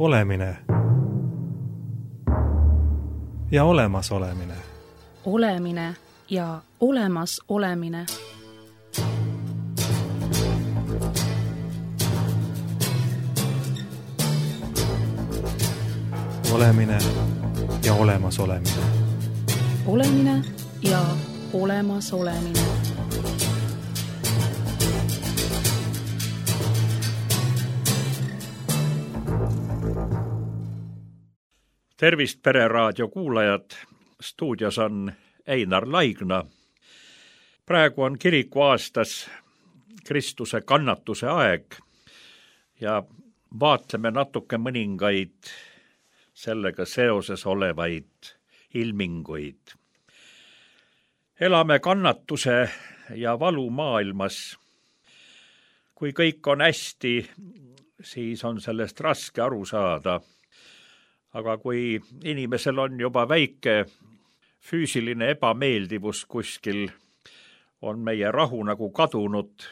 Olemine ja olemasolemine. Olemine ja olemas olemine. Olemine ja olemas olemine. Olemine ja olemas olemine. Tervist Pereraadio kuulajad, stuudios on Einar Laigna. Praegu on kiriku aastas Kristuse kannatuse aeg ja vaatleme natuke mõningaid sellega seoses olevaid ilminguid. Elame kannatuse ja valu maailmas. Kui kõik on hästi, siis on sellest raske aru saada. Aga kui inimesel on juba väike füüsiline ebameeldivus kuskil, on meie rahu nagu kadunud,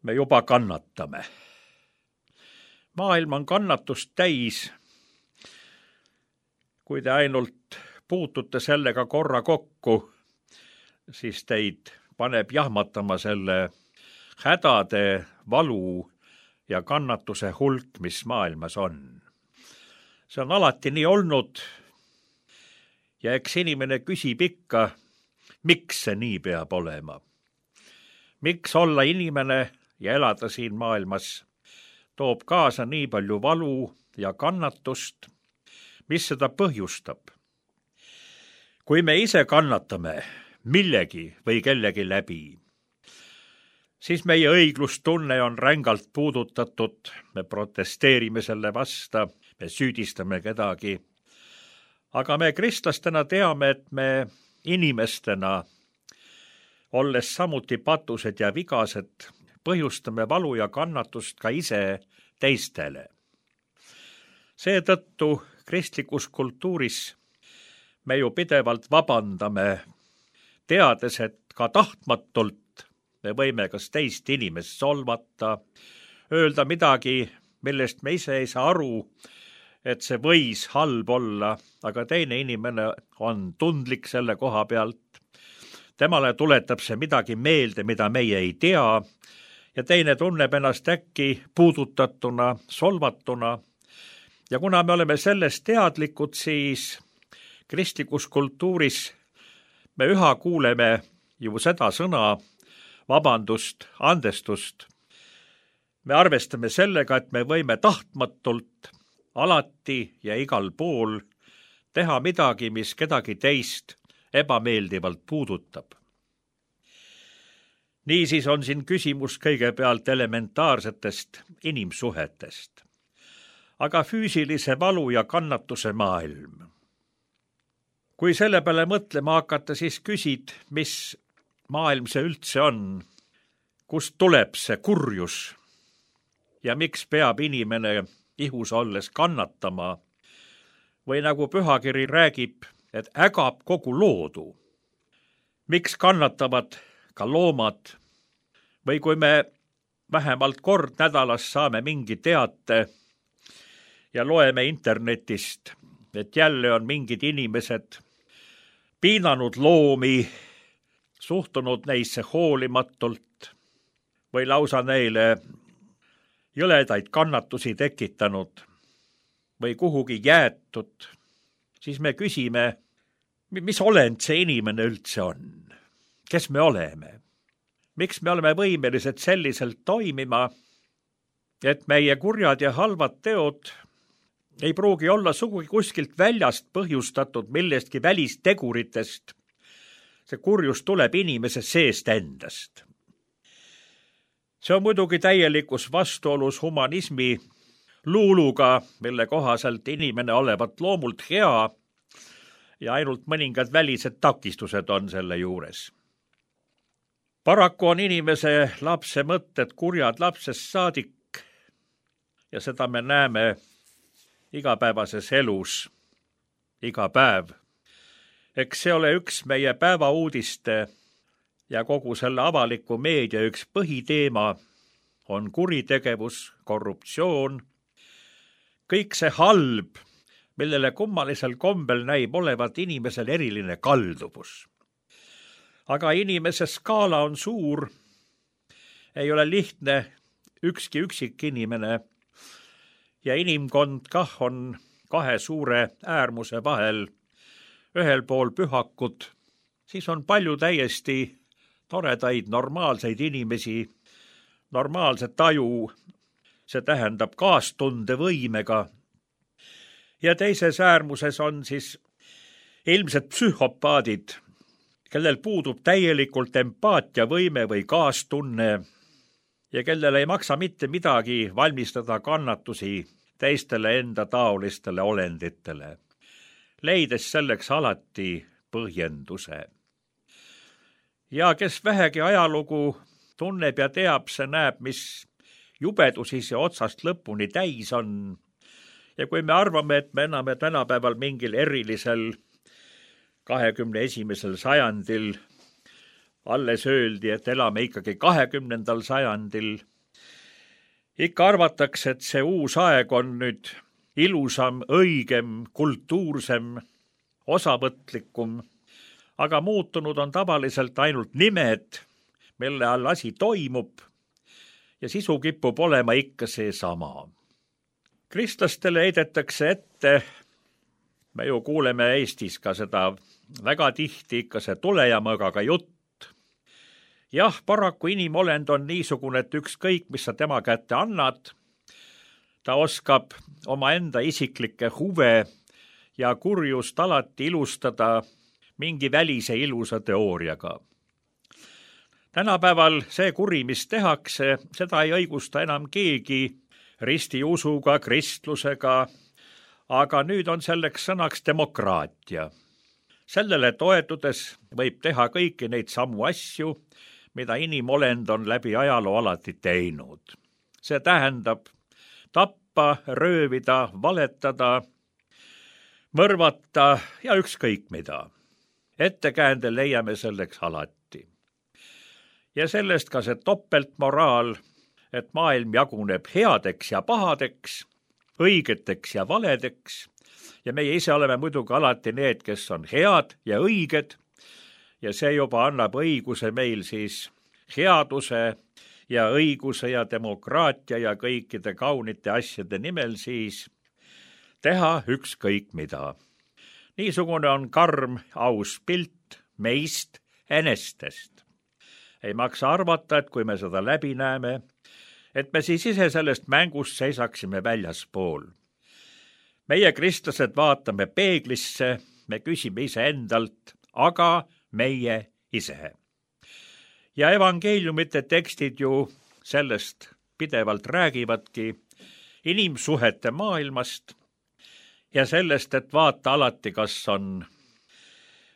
me juba kannatame. Maailm on kannatust täis. Kui te ainult puutute sellega korra kokku, siis teid paneb jahmatama selle hädade, valu ja kannatuse hulk, mis maailmas on. See on alati nii olnud ja eks inimene küsib ikka, miks see nii peab olema. Miks olla inimene ja elada siin maailmas toob kaasa nii palju valu ja kannatust, mis seda põhjustab. Kui me ise kannatame millegi või kellegi läbi, siis meie õiglustunne on rängalt puudutatud, me protesteerime selle vasta, me süüdistame kedagi. Aga me kristlastena teame, et me inimestena, olles samuti patused ja vigased, põhjustame valu ja kannatust ka ise teistele. Seetõttu kristlikus kultuuris me ju pidevalt vabandame, teades, et ka tahtmatult me võime kas teist inimest solvata, öelda midagi, millest me ise ei saa aru, et see võis halb olla, aga teine inimene on tundlik selle koha pealt. Temale tuletab see midagi meelde, mida meie ei tea, ja teine tunneb ennast äkki puudutatuna, solvatuna. Ja kuna me oleme sellest teadlikud, siis kristlikus kultuuris me üha kuuleme ju seda sõna vabandust, andestust. Me arvestame sellega, et me võime tahtmatult alati ja igal pool teha midagi, mis kedagi teist ebameeldivalt puudutab. Niisiis on siin küsimus kõigepealt elementaarsetest inimsuhetest, aga füüsilise valu ja kannatuse maailm. Kui selle peale mõtlema hakata, siis küsid, mis maailm see üldse on, kust tuleb see kurjus ja miks peab inimene ihus olles kannatama või nagu pühakiri räägib, et ägab kogu loodu. Miks kannatavad ka loomad või kui me vähemalt kord nädalas saame mingi teate ja loeme internetist, et jälle on mingid inimesed piinanud loomi, suhtunud neisse hoolimatult või lausa neile jõledaid kannatusi tekitanud või kuhugi jäetud, siis me küsime, mis olend see inimene üldse on? Kes me oleme? Miks me oleme võimelised selliselt toimima, et meie kurjad ja halvad teod ei pruugi olla sugugi kuskilt väljast põhjustatud millestki välisteguritest. See kurjus tuleb inimese seest endast. See on muidugi täielikus vastuolus humanismi luuluga, mille kohaselt inimene olevat loomult hea ja ainult mõningad välised takistused on selle juures. Paraku on inimese lapse mõtted kurjad lapsest saadik ja seda me näeme igapäevases elus, iga päev. Eks see ole üks meie päevauudiste ja kogu selle avaliku meedia üks põhiteema on kuritegevus, korruptsioon, kõik see halb, millele kummalisel kombel näib olevat inimesel eriline kalduvus. Aga inimese skaala on suur, ei ole lihtne ükski üksik inimene ja inimkond kah on kahe suure äärmuse vahel, ühel pool pühakud, siis on palju täiesti toredaid, normaalseid inimesi, normaalse taju, see tähendab kaastundevõimega. Ja teises äärmuses on siis ilmsed psühhopaadid, kellel puudub täielikult empaatiavõime või kaastunne ja kellel ei maksa mitte midagi valmistada kannatusi teistele enda taolistele olenditele, leides selleks alati põhjenduse. Ja kes vähegi ajalugu tunneb ja teab, see näeb, mis jubedusi see otsast lõpuni täis on. Ja kui me arvame, et me enam tänapäeval mingil erilisel 21. sajandil alles öeldi, et elame ikkagi 20. sajandil, ikka arvatakse, et see uus aeg on nüüd ilusam, õigem, kultuursem, osavõtlikum, aga muutunud on tavaliselt ainult nimed, mille all asi toimub ja sisu kipub olema ikka seesama. Kristlastele heidetakse ette, me ju kuuleme Eestis ka seda väga tihti ikka see tule ja mõõgaga jutt. Jah, paraku inimolend on niisugune, et ükskõik, mis sa tema kätte annad, ta oskab omaenda isiklikke huve ja kurjust alati ilustada mingi välise ilusa teooriaga. Tänapäeval see kuri, mis tehakse, seda ei õigusta enam keegi ristiusuga, kristlusega, aga nüüd on selleks sõnaks demokraatia. Sellele toetudes võib teha kõiki neid samu asju, mida inimolend on läbi ajaloo alati teinud. See tähendab tappa, röövida, valetada, mõrvata ja ükskõik mida. Ettekäände leiame selleks alati. Ja sellest ka see topeltmoraal, et maailm jaguneb headeks ja pahadeks, õigeteks ja valedeks ja meie ise oleme muidugi alati need, kes on head ja õiged ja see juba annab õiguse meil siis headuse ja õiguse ja demokraatia ja kõikide kaunite asjade nimel siis teha ükskõik mida. Niisugune on karm, aus pilt meist enestest. Ei maksa arvata, et kui me seda läbi näeme, et me siis ise sellest mängust seisaksime väljaspool. Meie kristlased vaatame peeglisse, me küsime ise endalt, aga meie ise. Ja evangeeliumite tekstid ju sellest pidevalt räägivadki inimsuhete maailmast ja sellest, et vaata alati, kas on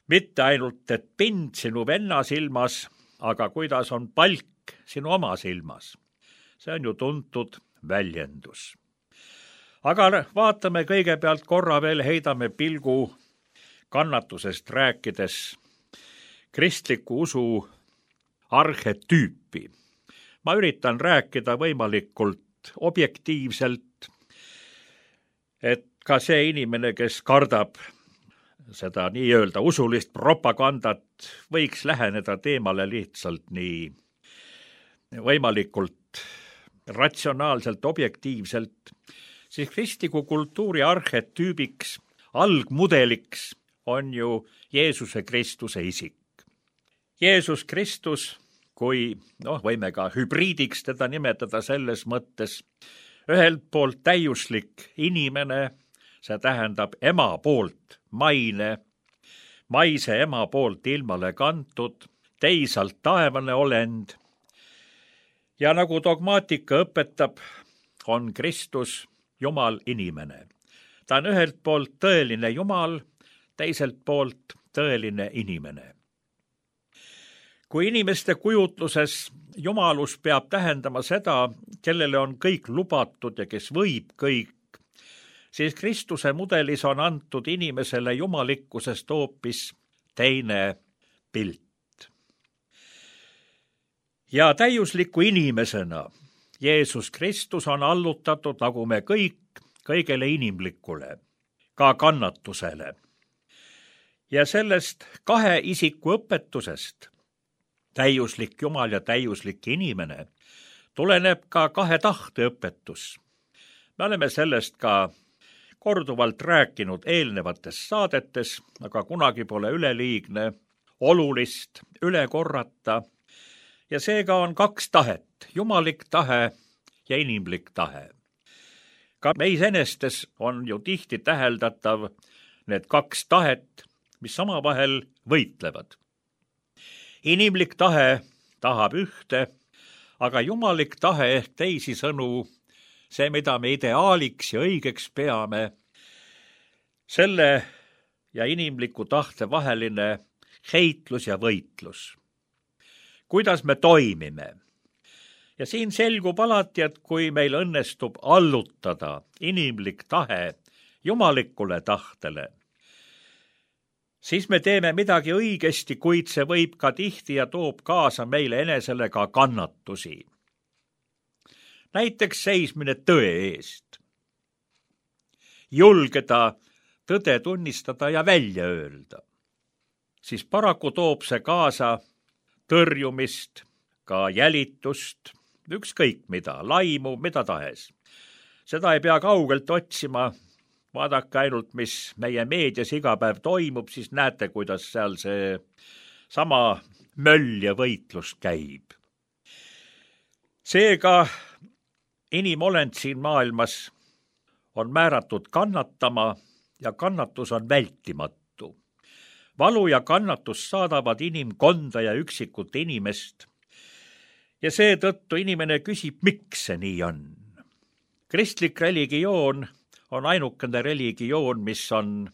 mitte ainult, et pind sinu venna silmas, aga kuidas on palk sinu oma silmas. See on ju tuntud väljendus. Aga vaatame kõigepealt korra veel, heidame pilgu kannatusest rääkides kristliku usu arhetüüpi. Ma üritan rääkida võimalikult objektiivselt, et ka see inimene, kes kardab seda nii-öelda usulist propagandat, võiks läheneda teemale lihtsalt nii võimalikult ratsionaalselt, objektiivselt, siis kristliku kultuuri arhetüübiks, algmudeliks on ju Jeesuse Kristuse isik. Jeesus Kristus, kui võime ka hübriidiks teda nimetada selles mõttes, ühelt poolt täiuslik inimene, see tähendab ema poolt maine, maise ema poolt ilmale kantud, teisalt taevane olend. Ja nagu dogmaatika õpetab, on Kristus Jumal inimene. Ta on ühelt poolt tõeline Jumal, teiselt poolt tõeline inimene. Kui inimeste kujutluses jumalus peab tähendama seda, kellele on kõik lubatud ja kes võib kõik, siis Kristuse mudelis on antud inimesele jumalikkusest hoopis teine pilt. Ja täiusliku inimesena Jeesus Kristus on allutatud, nagu me kõik, kõigele inimlikule, ka kannatusele. Ja sellest kahe isiku õpetusest, täiuslik Jumal ja täiuslik inimene, tuleneb ka kahe tahte õpetus. Me oleme sellest ka korduvalt rääkinud eelnevates saadetes, aga kunagi pole üleliigne olulist üle korrata. Ja seega on kaks tahet, jumalik tahe ja inimlik tahe. Ka meis enestes on ju tihti täheldatav need kaks tahet, mis omavahel võitlevad. Inimlik tahe tahab ühte, aga jumalik tahe ehk teisisõnu, see, mida me ideaaliks ja õigeks peame, selle ja inimliku tahte vaheline heitlus ja võitlus. Kuidas me toimime? Ja siin selgub alati, et kui meil õnnestub allutada inimlik tahe jumalikule tahtele, siis me teeme midagi õigesti, kuid see võib ka tihti ja toob kaasa meile enesele ka kannatusi. Näiteks seismine tõe eest. Julgeda tõde tunnistada ja välja öelda. Siis paraku toob see kaasa tõrjumist, ka jälitust, ükskõik mida, laimu, mida tahes. Seda ei pea kaugelt otsima. Vaadake ainult, mis meie meedias iga päev toimub, siis näete, kuidas seal see sama möll ja võitlus käib. Seega inimolend siin maailmas on määratud kannatama ja kannatus on vältimatu. Valu ja kannatus saadavad inimkonda ja üksikut inimest. Ja seetõttu inimene küsib, miks see nii on. Kristlik religioon on ainukene religioon, mis on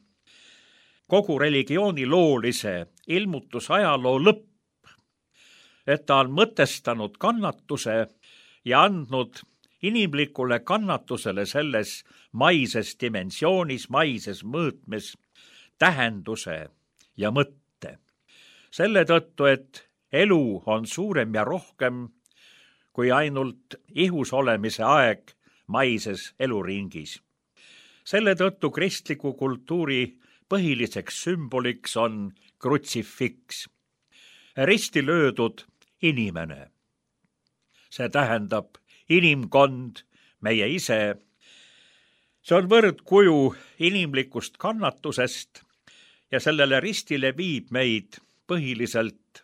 kogu religiooni loolise ilmutusajaloo lõpp, et ta on mõtestanud kannatuse ja andnud inimlikule kannatusele selles maises dimensioonis, maises mõõtmes tähenduse ja mõtte. Selle tõttu, et elu on suurem ja rohkem kui ainult ihus olemise aeg maises eluringis. Selle tõttu kristliku kultuuri põhiliseks sümboliks on krutsifiks, risti löödud inimene. See tähendab inimkond, meie ise. See on võrdkuju inimlikust kannatusest ja sellele ristile viib meid põhiliselt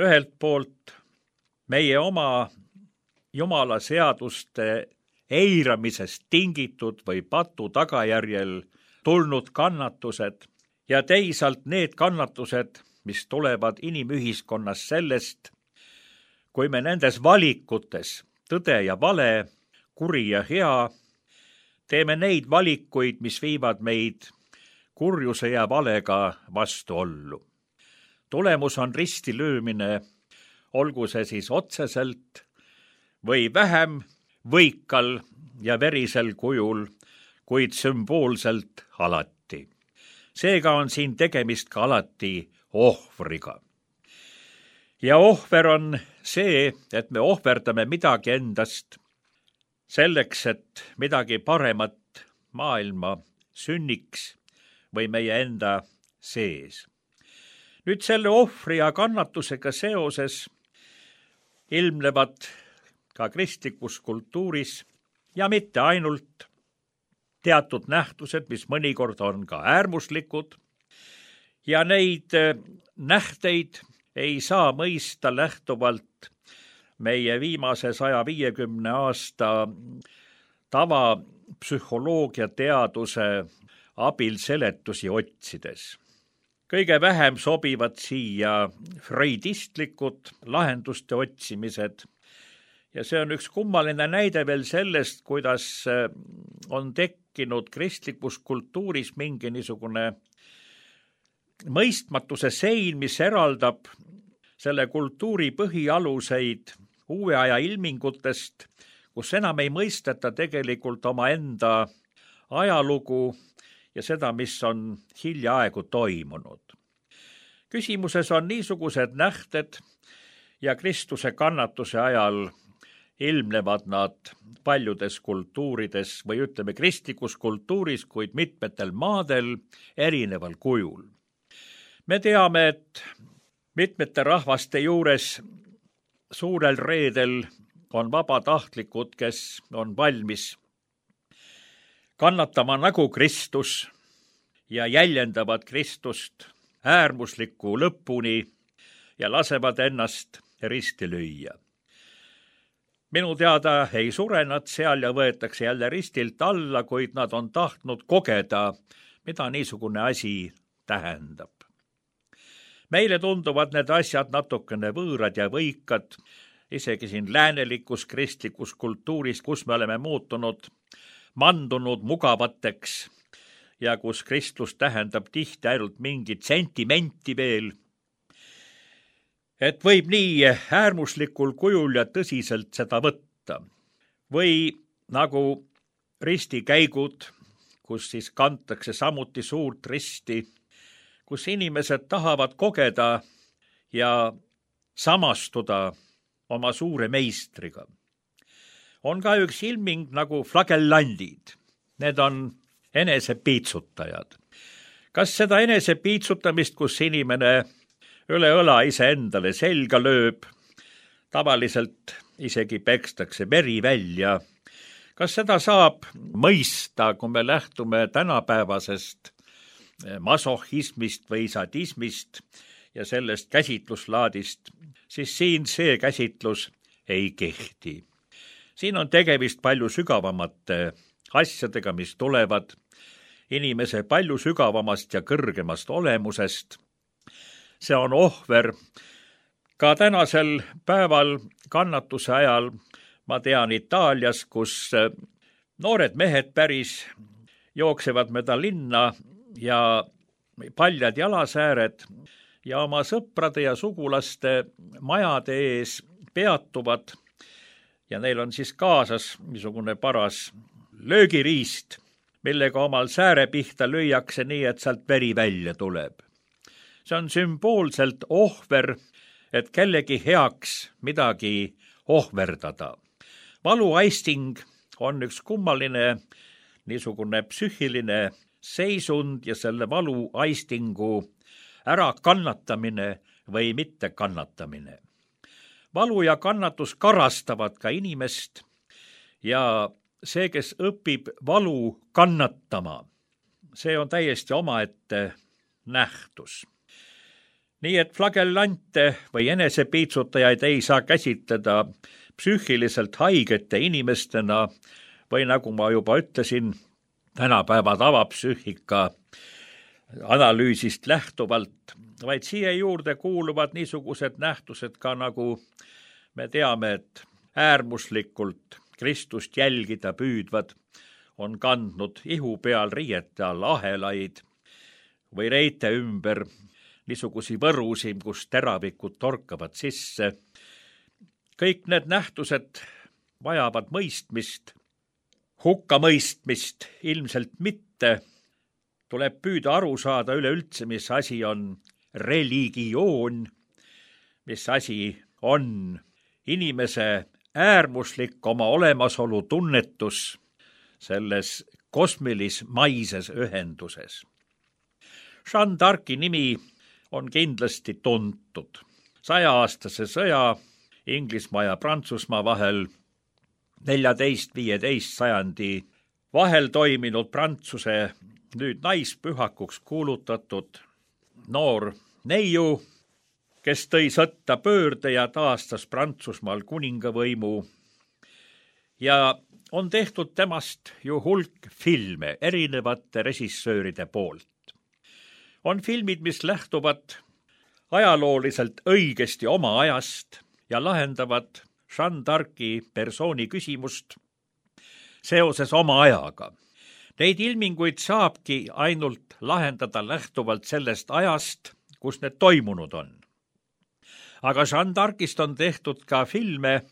ühelt poolt meie oma Jumala seaduste eiramisest tingitud või patu tagajärjel tulnud kannatused ja teisalt need kannatused, mis tulevad inimühiskonnas sellest, kui me nendes valikutes, tõde ja vale, kuri ja hea, teeme neid valikuid, mis viivad meid kurjuse ja valega vastuollu. Tulemus on ristilöömine, olgu see siis otseselt või vähem võikal ja verisel kujul, kuid sümboolselt alati. Seega on siin tegemist ka alati ohvriga. Ja ohver on see, et me ohverdame midagi endast selleks, et midagi paremat maailma sünniks või meie enda sees. Nüüd selle ohvri ja kannatusega seoses ilmnevad ka kristlikus kultuuris ja mitte ainult teatud nähtused, mis mõnikord on ka äärmuslikud, ja neid nähteid ei saa mõista lähtuvalt meie viimase 150 aasta tavapsühholoogia teaduse abil seletusi otsides. Kõige vähem sobivad siia freudistlikud lahenduste otsimised. Ja see on üks kummaline näide veel sellest, kuidas on tekkinud kristlikus kultuuris mingi niisugune mõistmatuse sein, mis eraldab selle kultuuri põhialuseid uue aja ilmingutest, kus enam ei mõisteta tegelikult omaenda ajalugu ja seda, mis on hiljaaegu toimunud. Küsimuses on niisugused nähted ja Kristuse kannatuse ajal ilmnevad nad paljudes kultuurides või ütleme kristlikus kultuuris, kuid mitmetel maadel erineval kujul. Me teame, et mitmete rahvaste juures suurel reedel on vabatahtlikud, kes on valmis kannatama nagu Kristus ja jäljendavad Kristust äärmusliku lõpuni ja lasevad ennast risti lüüa. Minu teada ei sure nad seal ja võetakse jälle ristilt alla, kuid nad on tahtnud kogeda, mida niisugune asi tähendab. Meile tunduvad need asjad natukene võõrad ja võikad, isegi siin läänelikus kristlikus kultuuris, kus me oleme mandunud mugavateks ja kus Kristus tähendab tihti ainult mingit sentimenti veel. Et võib nii äärmuslikul kujul ja tõsiselt seda võtta. Või nagu ristikäigud, kus siis kantakse samuti suurt risti, kus inimesed tahavad kogeda ja samastuda oma suure meistriga. On ka üks ilming nagu flagellandid. Need on enesepiitsutajad. Kas seda enesepiitsutamist, kus inimene üle õla iseendale selga lööb, tavaliselt isegi pekstakse veri välja. Kas seda saab mõista, kui me lähtume tänapäevasest masohhismist või sadismist ja sellest käsitluslaadist, siis siin see käsitlus ei kehti. Siin on tegemist palju sügavamate asjadega, mis tulevad inimese palju sügavamast ja kõrgemast olemusest. See on ohver. Ka tänasel päeval kannatuse ajal, ma tean Itaalias, kus noored mehed päris jooksevad mööda linna ja paljad jalasääred ja oma sõprade ja sugulaste majade ees peatuvad ja neil on siis kaasas niisugune paras löögiriist, millega omal sääre pihta lüüakse nii, et sealt veri välja tuleb. See on sümboolselt ohver, et kellegi heaks midagi ohverdada. Valuaisting on üks kummaline niisugune psüühiline seisund ja selle valuaistingu ärakannatamine või mitte kannatamine. Valu ja kannatus karastavad ka inimest ja see, kes õpib valu kannatama, see on täiesti omaette nähtus. Nii et flagellante või enesepiitsutajaid ei saa käsitleda psüühiliselt haigete inimestena või nagu ma juba ütlesin, tänapäeva tavapsüühika analüüsist lähtuvalt, vaid siia juurde kuuluvad niisugused nähtused ka nagu me teame, et äärmuslikult Kristust jälgida püüdvad on kandnud ihu peal riiete all ahelaid või reite ümber niisugusi võrusi, kus teravikud torkavad sisse. Kõik need nähtused vajavad mõistmist, hukkamõistmist ilmselt mitte. Tuleb püüda aru saada üleüldse, mis asi on religioon, mis asi on inimese äärmuslik oma olemasolu tunnetus selles kosmilis-maises ühenduses. Jeanne d'Arci nimi on kindlasti tuntud. 100-aastase sõja Inglismaa ja Prantsusmaa vahel 14-15 sajandi vahel toiminud Prantsuse nüüd naispühakuks kuulutatud noor neiu, kes tõi sõtta pöörde ja taastas Prantsusmaal kuningavõimu ja on tehtud temast ju hulk filme erinevate režissööride poolt. On filmid, mis lähtuvad ajalooliselt õigesti oma ajast ja lahendavad Jeanne d'Arci persooni küsimust seoses oma ajaga. Neid ilminguid saabki ainult lahendada lähtuvalt sellest ajast, kus need toimunud on. Aga Jeanne d'Arcist on tehtud ka filme,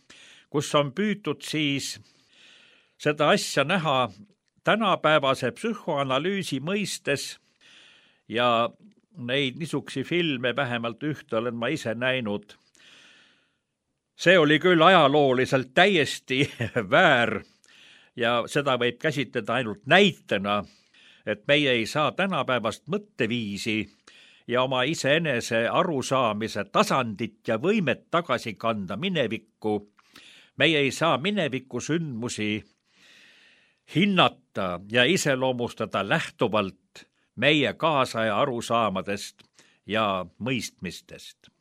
kus on püütud siis seda asja näha tänapäevase psühhoanalüüsi mõistes ja neid niisugusi filme, vähemalt ühte olen ma ise näinud, See oli küll ajalooliselt täiesti väär ja seda võib käsitleda ainult näitena, et meie ei saa tänapäevast mõtteviisi ja oma iseenese arusaamise tasandit ja võimet tagasi kanda minevikku. Meie ei saa mineviku sündmusi hinnata ja iseloomustada lähtuvalt meie kaasaja arusaamadest ja mõistmistest.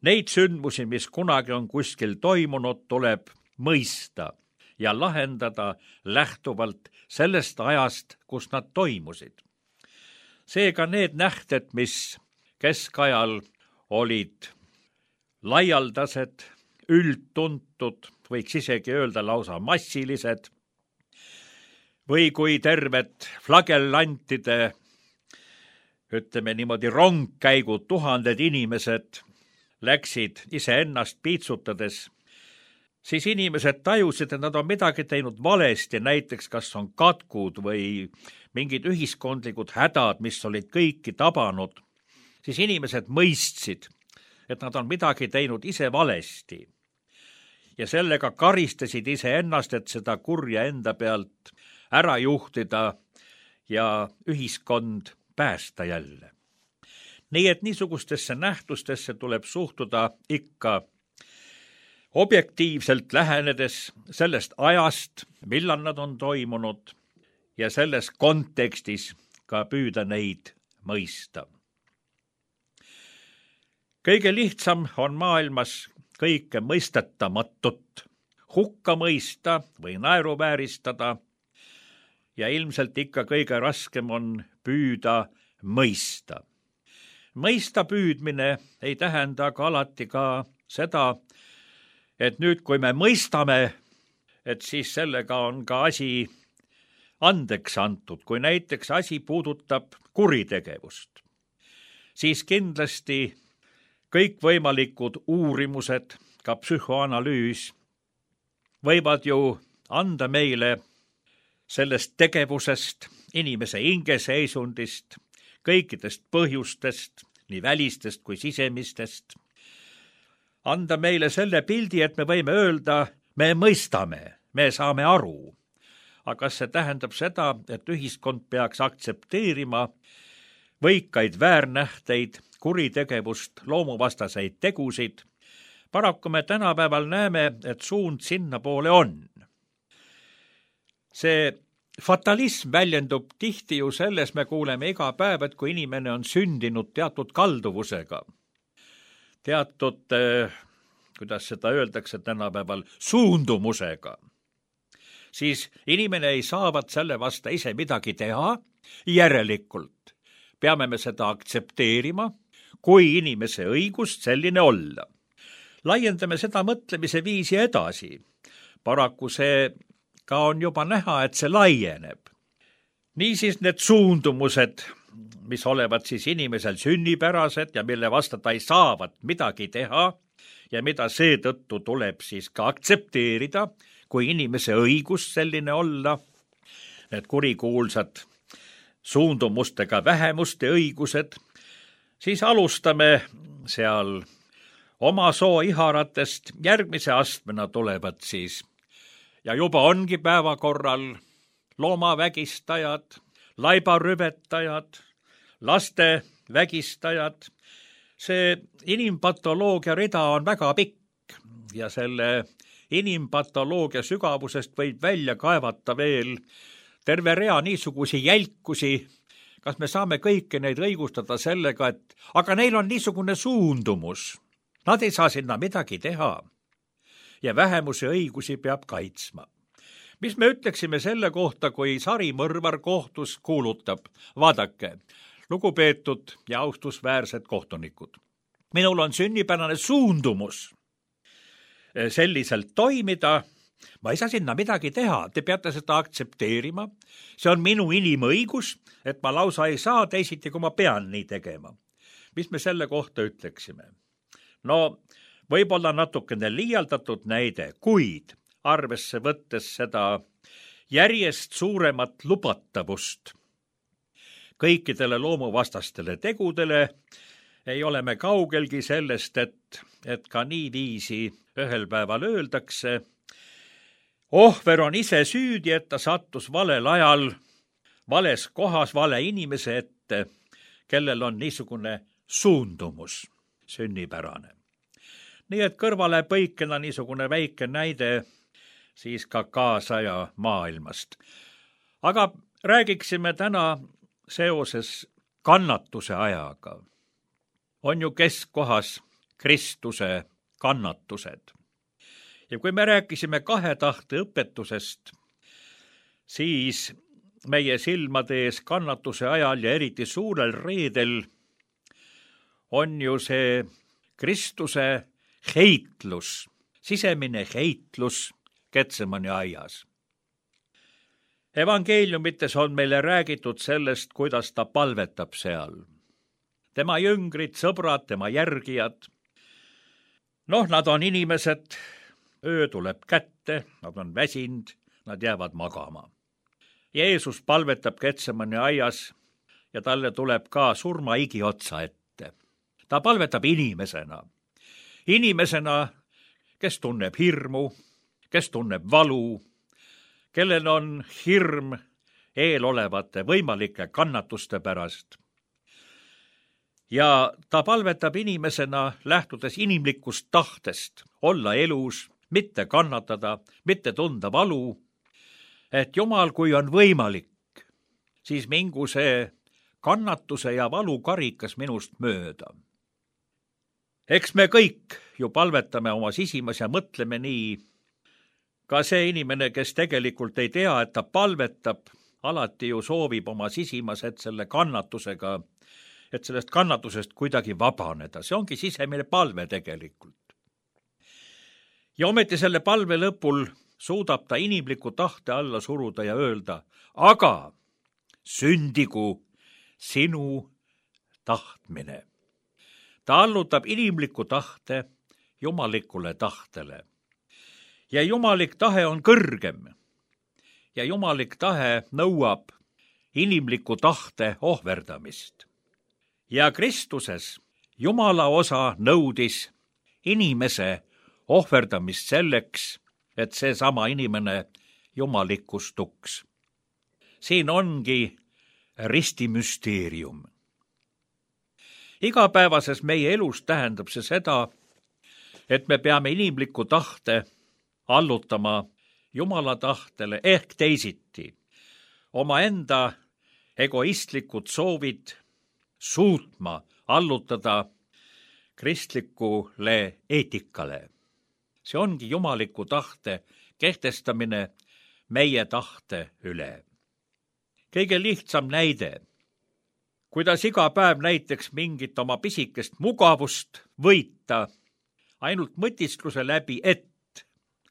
Neid sündmusi, mis kunagi on kuskil toimunud, tuleb mõista ja lahendada lähtuvalt sellest ajast, kus nad toimusid. Seega need nähted, mis keskajal olid laialdased, üldtuntud, võiks isegi öelda lausa massilised, või kui terved flagellantide, ütleme niimoodi rongkäigud, tuhanded inimesed läksid iseennast piitsutades, siis inimesed tajusid, et nad on midagi teinud valesti, näiteks kas on katkud või mingid ühiskondlikud hädad, mis olid kõiki tabanud, siis inimesed mõistsid, et nad on midagi teinud ise valesti. Ja sellega karistasid iseennast, et seda kurja enda pealt ära juhtida ja ühiskond päästa jälle. Nii et niisugustesse nähtustesse tuleb suhtuda ikka objektiivselt lähenedes sellest ajast, millal nad on toimunud ja selles kontekstis ka püüda neid mõista. Kõige lihtsam on maailmas kõike mõistetamatut hukka mõista või naeruvääristada ja ilmselt ikka kõige raskem on püüda mõista. Mõista püüdmine ei tähenda ka alati ka seda, et nüüd, kui me mõistame, et siis sellega on ka asi andeks antud, kui näiteks asi puudutab kuritegevust, siis kindlasti kõikvõimalikud uurimused, ka psühhoanalüüs, võivad ju anda meile sellest tegevusest, inimese hingeseisundist, kõikidest põhjustest, nii välistest kui sisemistest, anda meile selle pildi, et me võime öelda, me mõistame, me saame aru. Aga kas see tähendab seda, et ühiskond peaks aktsepteerima võikaid väärnähteid, kuritegevust, loomuvastaseid tegusid? Paraku me tänapäeval näeme, et suund sinna poole on. See fatalism väljendub tihti ju selles, me kuuleme iga päev, et kui inimene on sündinud teatud kalduvusega, teatud, kuidas seda öeldakse tänapäeval, suundumusega, siis inimene ei saavat selle vasta ise midagi teha, järelikult peame me seda aktsepteerima, kui inimese õigust selline olla. Laiendame seda mõtlemise viisi edasi. Paraku see ka on juba näha, et see laieneb. Niisiis need suundumused, mis olevat siis inimesel sünnipärased ja mille vasta ta ei saavat midagi teha ja mida seetõttu tuleb siis ka aktsepteerida, kui inimese õigus selline olla, need kurikuulsad suundumustega vähemuste õigused, siis alustame seal oma soo iharatest, järgmise astmena tulevad siis ja juba ongi päevakorral loomavägistajad, laibarüvetajad, laste vägistajad. See inimpatoloogia rida on väga pikk ja selle inimpatoloogia sügavusest võib välja kaevata veel terve rea niisugusi jälkusi. Kas me saame kõiki neid õigustada sellega, et aga neil on niisugune suundumus. Nad ei saa sinna midagi teha ja vähemuse õigusi peab kaitsma. Mis me ütleksime selle kohta, kui sarimõrvar kohtus kuulutab? Vaadake, lugupeetud ja austusväärsed kohtunikud. Minul on sünnipärane suundumus selliselt toimida. Ma ei saa sinna midagi teha, te peate seda aktsepteerima. See on minu inimõigus, et ma lausa ei saa teisiti, kui ma pean nii tegema. Mis me selle kohta ütleksime? No, võib-olla natukene liialdatud näide, kuid arvesse võttes seda järjest suuremat lubatavust kõikidele loomuvastastele tegudele ei ole me kaugelgi sellest, et ka niiviisi ühel päeval öeldakse. Ohver on ise süüdi, et ta sattus valel ajal, vales kohas, vale inimese ette, kellel on niisugune suundumus sünnipärane. Nii et kõrvale põikena niisugune väike näide siis ka kaasaja maailmast. Aga räägiksime täna seoses kannatuse ajaga. On ju keskkohas Kristuse kannatused. Ja kui me rääkisime 2 tahte õpetusest, siis meie silmade ees kannatuse ajal ja eriti suurel reedel on ju see Kristuse heitlus, sisemine heitlus Getsemani aias. Evangeeliumites on meile räägitud sellest, kuidas ta palvetab seal. Tema jüngrid, sõbrad, tema järgijad. Nad on inimesed, öö tuleb kätte, nad on väsinud, nad jäävad magama. Jeesus palvetab Getsemani aias ja talle tuleb ka surmaigi otsa ette. Ta palvetab inimesena, kes tunneb hirmu, kes tunneb valu, kellel on hirm eelolevate võimalike kannatuste pärast. Ja ta palvetab inimesena, lähtudes inimlikust tahtest, olla elus, mitte kannatada, mitte tunda valu, et Jumal, kui on võimalik, siis mingu see kannatuse ja valu karikas minust mööda. Eks me kõik ju palvetame oma sisimas ja mõtleme nii. Ka see inimene, kes tegelikult ei tea, et ta palvetab, alati ju soovib oma sisimas, et selle kannatusega, et sellest kannatusest kuidagi vabaneda. See ongi sisemine palve tegelikult. Ja ometi selle palve lõpul suudab ta inimliku tahte alla suruda ja öelda, aga sündigu sinu tahtmine. Ta allutab inimliku tahte jumalikule tahtele. Ja jumalik tahe on kõrgem. Ja jumalik tahe nõuab inimliku tahte ohverdamist. Ja Kristuses Jumala osa nõudis inimese ohverdamist selleks, et seesama inimene jumalikustuks. Siin ongi ristimüsteerium. Igapäevases meie elus tähendab see seda, et me peame inimliku tahte allutama Jumala tahtele ehk teisiti. Omaenda egoistlikud soovid suutma allutada kristlikule eetikale. See ongi jumaliku tahte kehtestamine meie tahte üle. Kõige lihtsam näide, kuidas iga päev näiteks mingit oma pisikest mugavust võita ainult mõtiskluse läbi,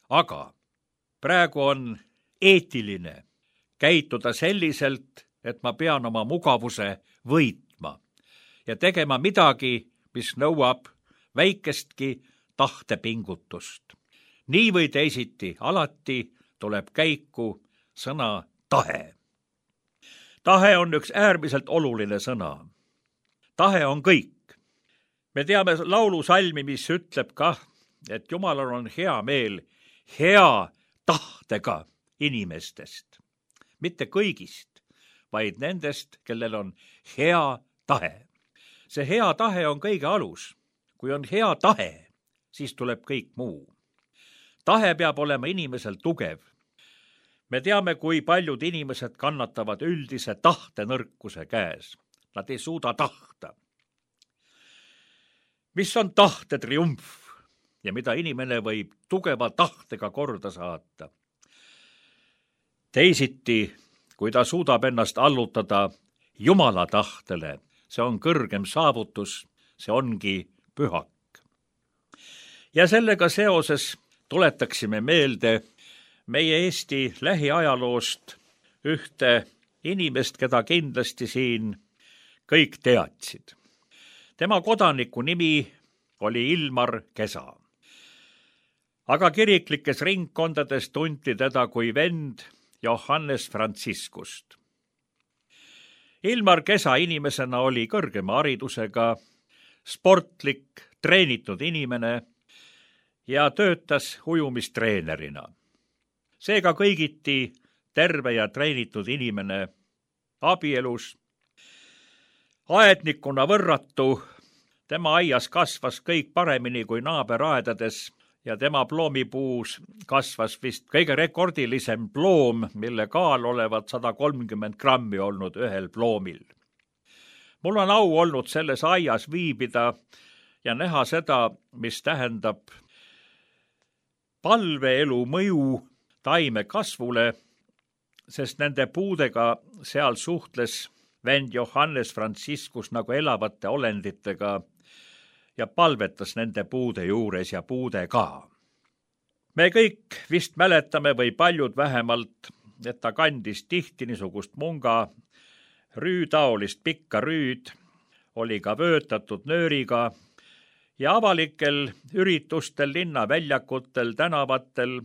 aga praegu on eetiline käituda selliselt, et ma pean oma mugavuse võitma ja tegema midagi, mis nõuab väikestki tahtepingutust. Nii või teisiti alati tuleb käiku sõna tahe. Tahe on üks äärmiselt oluline sõna. Tahe on kõik. Me teame laulusalmi, mis ütleb kah, et Jumalal on hea meel hea tahtega inimestest. Mitte kõigist, vaid nendest, kellel on hea tahe. See hea tahe on kõige alus. Kui on hea tahe, siis tuleb kõik muu. Tahe peab olema inimesel tugev. Me teame, kui paljud inimesed kannatavad üldise tahtenõrkuse käes. Nad ei suuda tahta. Mis on tahte triumf ja mida inimene võib tugeva tahtega korda saata? Teisiti, kui ta suudab ennast allutada Jumala tahtele, see on kõrgem saavutus, see ongi pühak. Ja sellega seoses tuletaksime meelde meie Eesti lähiajaloost ühte inimest, keda kindlasti siin kõik teadsid. Tema kodaniku nimi oli Ilmar Kesa. Aga kiriklikes ringkondades tunti teda kui vend Johannes Franciscust. Ilmar Kesa inimesena oli kõrgema haridusega, sportlik, treenitud inimene ja töötas ujumistreenerina. Seega kõigiti terve ja treenitud inimene abielus. Aednikuna võrratu, tema aias kasvas kõik paremini kui naaberaedades ja tema ploomipuus kasvas vist kõige rekordilisem ploom, mille kaal olevat 130 grammi olnud ühel ploomil. Mul on au olnud selles aias viibida ja näha seda, mis tähendab palveelu mõju taime kasvule, sest nende puudega seal suhtles vend Johannes Franciscus nagu elavate olenditega ja palvetas nende puude juures ja puude ka. Me kõik vist mäletame või paljud vähemalt, et ta kandis tihti niisugust munga, rüütaolist pikka rüüd, oli ka vöötatud nööriga ja avalikel üritustel, linnaväljakutel, tänavatel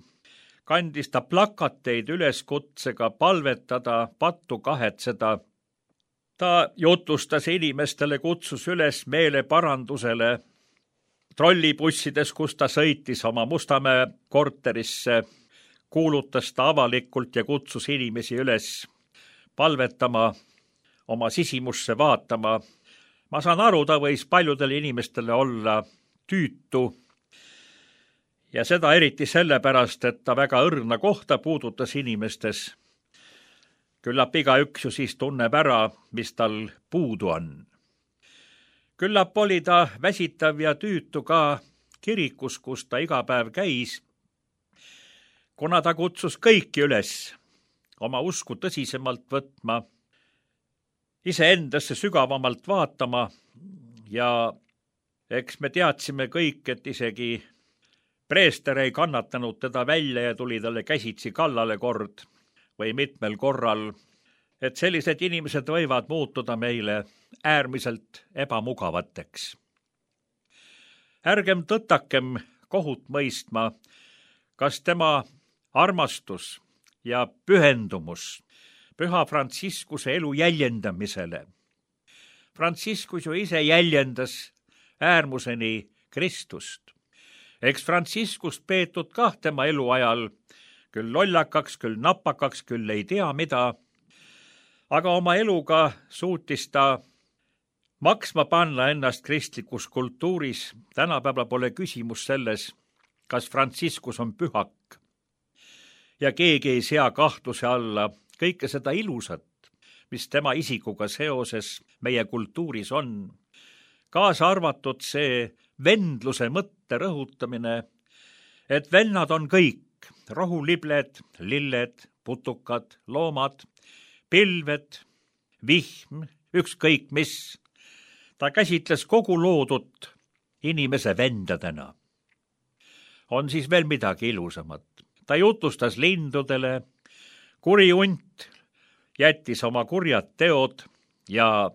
kandis ta plakateid üleskutsega palvetada, pattu kahetseda. Ta jutustas inimestele, kutsus üles meeleparandusele. Trollibussides, kus ta sõitis oma Mustamäe korterisse, kuulutas ta avalikult ja kutsus inimesi üles palvetama, oma sisimusse vaatama. Ma saan aru, ta võis paljudele inimestele olla tüütu ja seda eriti sellepärast, et ta väga õrna kohta puudutas inimestes. Küllap igaüks ju siis tunneb ära, mis tal puudu on. Küllap oli ta väsitav ja tüütu ka kirikus, kus ta iga päev käis, kuna ta kutsus kõiki üles oma usku tõsisemalt võtma, iseendasse sügavamalt vaatama ja eks me teadsime kõik, et isegi preester ei kannatanud teda välja ja tuli talle käsitsi kallale kord või mitmel korral, et sellised inimesed võivad muutuda meile äärmiselt ebamugavateks. Ärgem tõttakem kohut mõistma, kas tema armastus ja pühendumus Püha Franciscuse elu jäljendamisele. Franciscus ju ise jäljendas äärmuseni Kristust. Eks Franciscust peetud kah tema eluajal, küll lollakaks, küll napakaks, küll ei tea mida, aga oma eluga suutis ta maksma panna ennast kristlikus kultuuris. Tänapäeval pole küsimus selles, kas Franciscus on pühak. Ja keegi ei sea kahtluse alla kõike seda ilusat, mis tema isikuga seoses meie kultuuris on. Kaasa arvatud see vendluse mõtte rõhutamine, et vennad on kõik, rohulibled, lilled, putukad, loomad, pilved, vihm, ükskõik mis. Ta käsitles kogu loodut inimese vendadena. On siis veel midagi ilusamat. Ta jutustas lindudele, kuri hunt jättis oma kurjad teod ja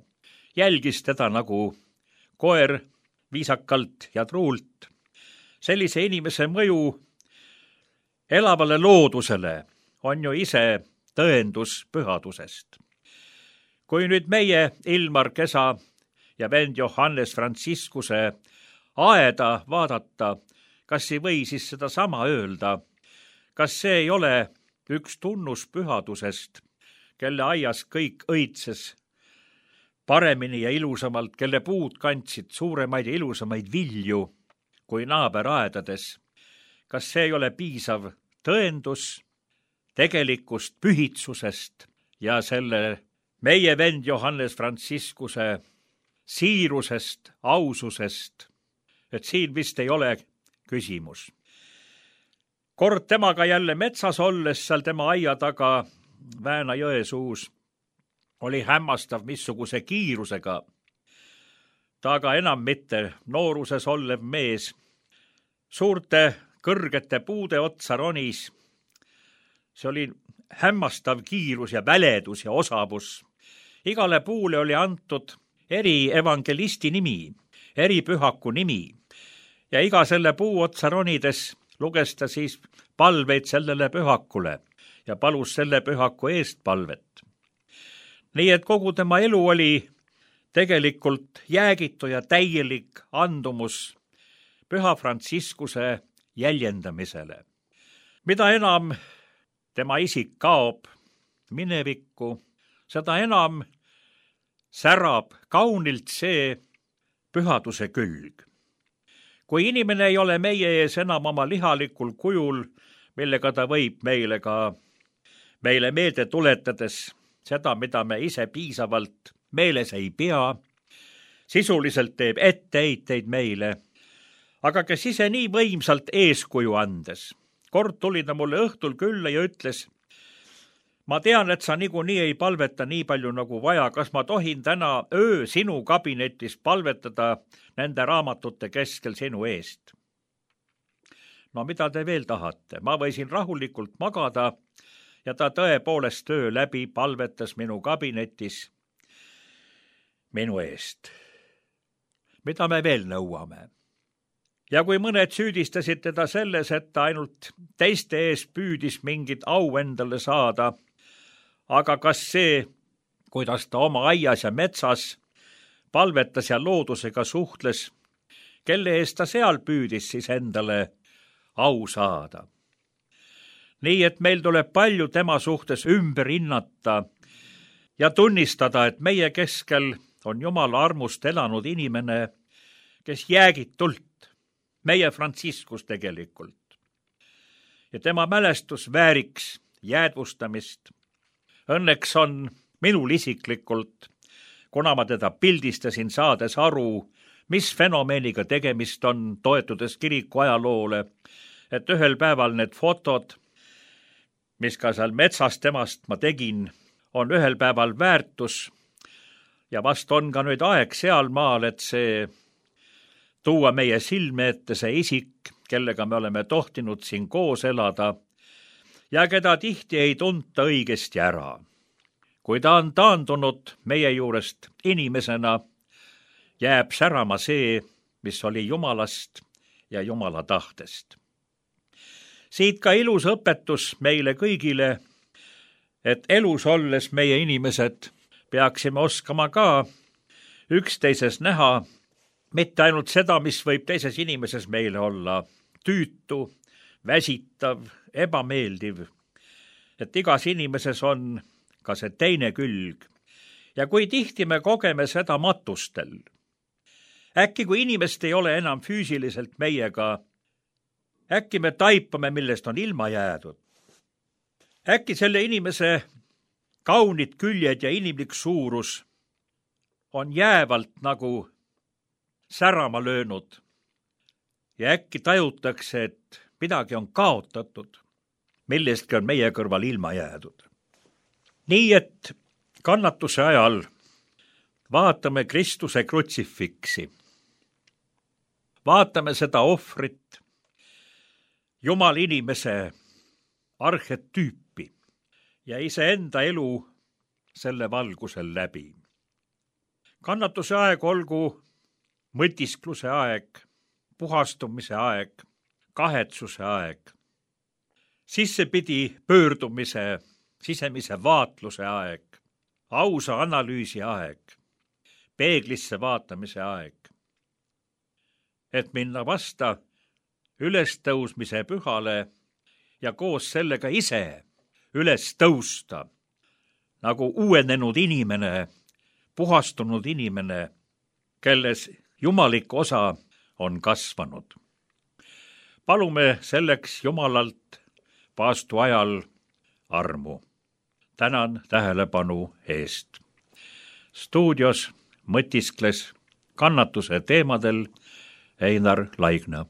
jälgis teda nagu koer viisakalt ja truult. Sellise inimese mõju elavale loodusele on ju ise tõendus pühadusest. Kui nüüd meie Ilmar Kesa ja vend Johannes Franciscuse aeda vaadata, kas ei või siis seda sama öelda, kas see ei ole üks tunnus pühadusest, kelle aias kõik õitses paremini ja ilusamalt, kelle puud kandsid suuremaid ja ilusamaid vilju kui naaberaedades. Kas see ei ole piisav tõendus tegelikust pühitsusest ja selle meie vend Johannes Franciscuse siirusest, aususest, et siin vist ei ole küsimus. Kord temaga jälle metsas olles seal tema aia taga Vääna jõe suus oli hämmastav missuguse kiirusega. Ta aga enam mitte nooruses olev mees suurte kõrgete puude otsa ronis. See oli hämmastav kiirus ja väledus ja osavus. Igale puule oli antud eri evangelisti nimi, eri pühaku nimi ja iga selle puu otsa ronides luges ta siis palveid sellele pühakule ja palus selle pühaku eest palvet. Nii et kogu tema elu oli tegelikult jäägitu ja täielik andumus Püha Franciscuse jäljendamisele. Mida enam tema isik kaob minevikku, seda enam särab kaunilt see pühaduse külg. Kui inimene ei ole meie ees enam oma lihalikul kujul, millega ta võib meile meelde tuletades seda, mida me ise piisavalt meeles ei pea, sisuliselt teeb etteheiteid meile, aga kes ise nii võimsalt eeskuju andes. Kord tuli ta mulle õhtul külla ja ütles, ma tean, et sa niikuinii ei palveta nii palju nagu vaja, kas ma tohin täna öö sinu kabinetis palvetada nende raamatute keskel sinu eest? No mida te veel tahate? Ma võisin rahulikult magada ja ta tõepoolest öö läbi palvetas minu kabinetis minu eest. Mida me veel nõuame? Ja kui mõned süüdistasid teda selles, et ta ainult teiste ees püüdis mingit au endale saada, aga kas see, kuidas ta oma aias ja metsas palvetas ja loodusega suhtles, kelle eest ta seal püüdis siis endale au saada? Nii et meil tuleb palju tema suhtes ümber hinnata ja tunnistada, et meie keskel on Jumala armust elanud inimene, kes jäägitult, meie Franciscus tegelikult. Ja tema mälestus vääriks jäädvustamist. Õnneks on minul isiklikult, kuna ma teda pildistasin saades aru, mis fenomeniga tegemist on, toetudes kiriku ajaloole, et ühel päeval need fotod, mis ka seal metsas temast ma tegin, on ühel päeval väärtus ja vast on ka nüüd aeg sealmaal, et see tuua meie silme ette see isik, kellega me oleme tohtinud siin koos elada ja keda tihti ei tunta õigesti ära. Kui ta on taandunud meie juurest inimesena, jääb särama see, mis oli Jumalast ja Jumala tahtest. Siit ka ilus õpetus meile kõigile, et elus olles meie inimesed peaksime oskama ka üksteises näha mitte ainult seda, mis võib teises inimeses meile olla tüütu, väsitav, ebameeldiv, et igas inimeses on ka see teine külg. Ja kui tihti me kogeme seda matustel, äkki kui inimest ei ole enam füüsiliselt meiega, äkki me taipame, millest on ilma jäädud. Äkki selle inimese kaunid küljed ja inimlik suurus on jäävalt nagu särama löönud ja äkki tajutakse, et midagi on kaotatud, millestki on meie kõrval ilma jäädud. Nii et kannatuse ajal vaatame Kristuse krutsifiksi, vaatame seda ohvrit, Jumal inimese arhetüüpi ja iseenda elu selle valgusel läbi. Kannatuse aeg olgu mõtiskluse aeg, puhastumise aeg, kahetsuse aeg, sissepidi pöördumise, sisemise vaatluse aeg, ausa analüüsi aeg, peeglisse vaatamise aeg, et minna vasta ülestõusmise pühale ja koos sellega ise üles tõusta nagu uuenenud inimene, puhastunud inimene, kelles jumalik osa on kasvanud. Palume selleks Jumalalt paastu ajal armu. Tänan tähelepanu eest. Stuudios mõtiskles kannatuse teemadel Einar Laigna.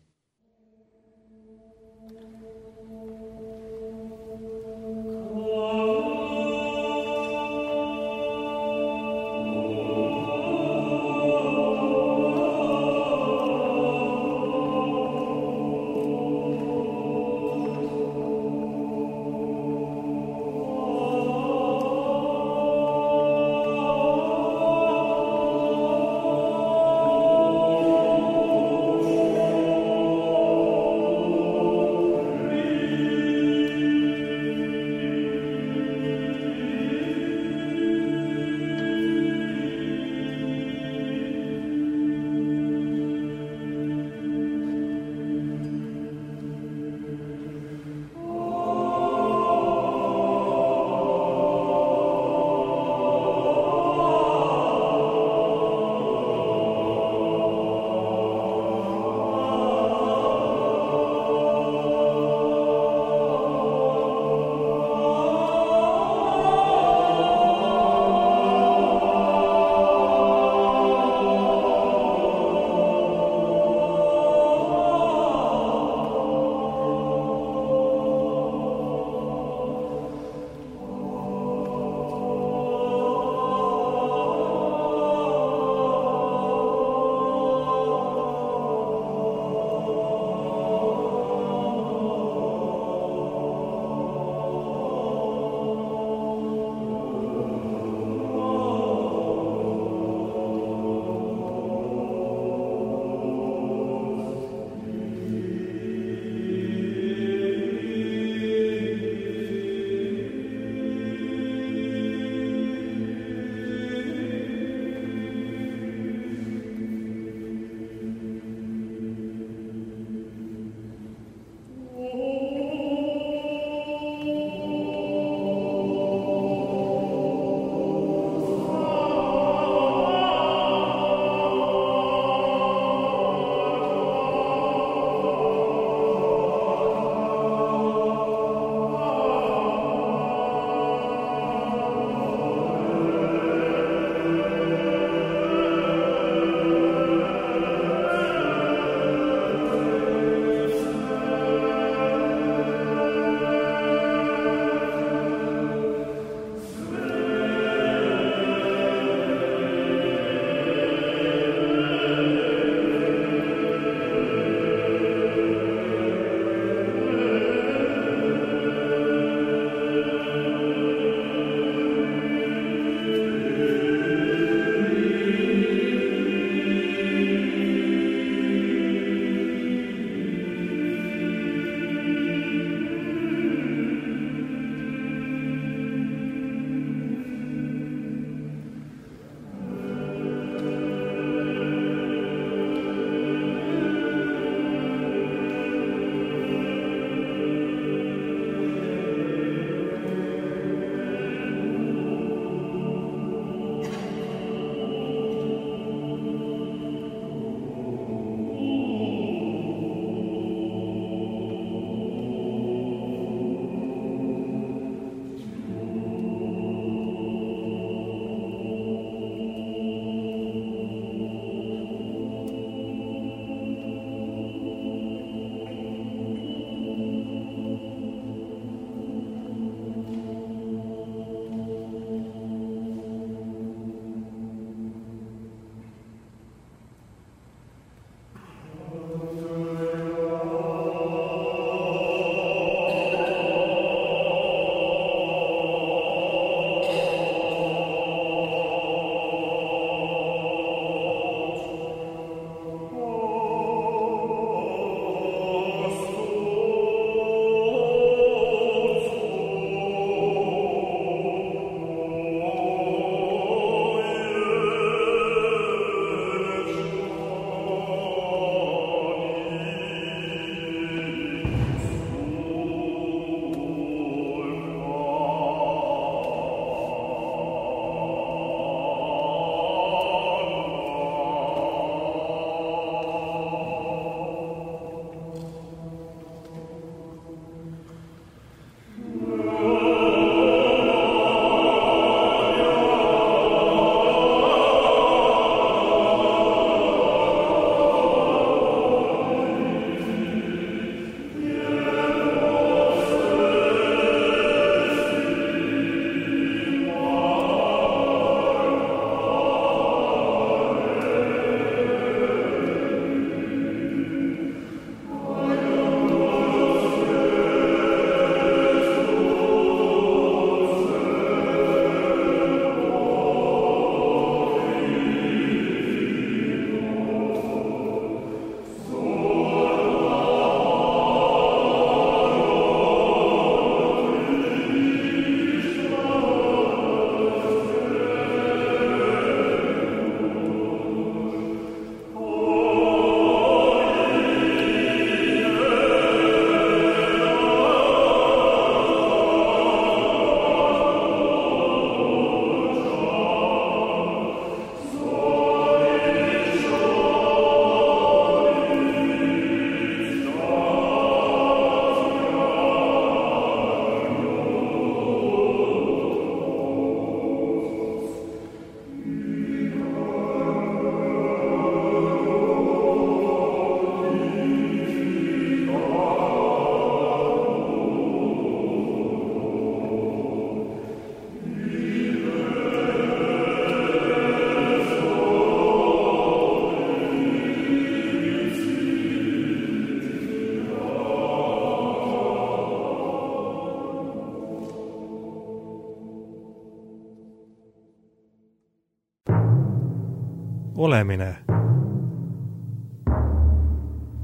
olemine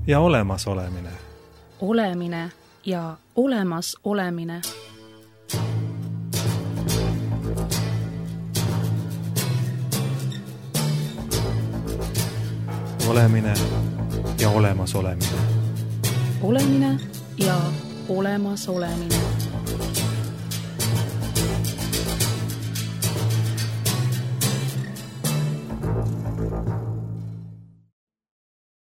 ja olemasolemine. Olemine ja olemas olemine. Olemine ja olemasolemine. Olemine ja olemas olemine.